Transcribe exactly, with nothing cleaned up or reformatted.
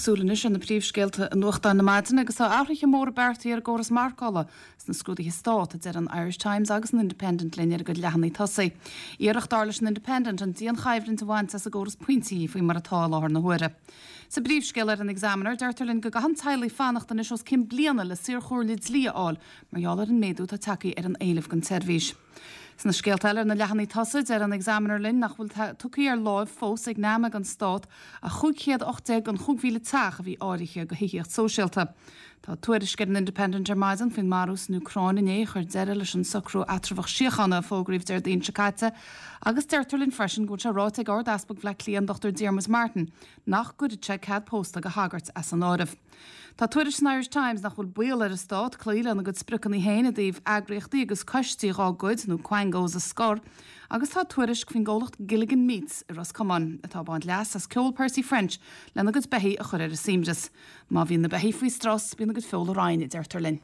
súil anois ar na príomhscéalta i nuachtáin na maidine agus tá athruithe móra beartaithe ar an gcóras marcála sna scrúduithe stáit, a deir an Irish Times agus an Independent linn ar a gcuid leathanaigh tosaigh. Iarracht dar leis an Independent an dianchoimhlint a bhaint as an gcóras pointí faoi mar atá i láthair na huaire. Sa bpríomhscéal ar an Examiner, deirtear linn go gcaitheann teaghlaigh fanacht anois os cionn bliana le saorchomhairle dlí a fháil mar gheall ar an méadú atá tagtha ar an éileamh don tseirbhís. Sna scéalta eile ar na leathanaigh tosaigh, deir an Examiner linn nach bhfuil tugtha ar láimh fós ag NAMA don stát ach cúig chéad ocht déag den chúig mhíle teach a bhí áirithe do thithíocht sóisialta. Tá tuairisc ar an Independent ar maidin faoin marú san Úcráin inné a chuir deireadh leis an socrú eatramhach síochána a fógraíodh Déardaoin seo caite agus deirtear linn freisin go bhfuil sé ráite ag Ard-Easpag Bhaile Átha Cliath an Dochtúir Diarmuid Martin nach gcuirfidh sé cead pósta do shagairt as an áireamh. Tá tuairisc san Irish Times nach bhfuil baol ar an stát cloí lena gcuid spriocanna féin i dtaobh eagraíochtaí agus coistí dhá gcuid nó quangos a scor agus tá tuairisc faoin gcomhlacht Gilligan Meats i Ros Comáin atá ag baint leas as ceol Percy French lena gcuid beithígh a chur ar a suaimhneas. Má bhíonn na beithígh faoi strus, bíonn a gcuid feola righin, a deirtear linn.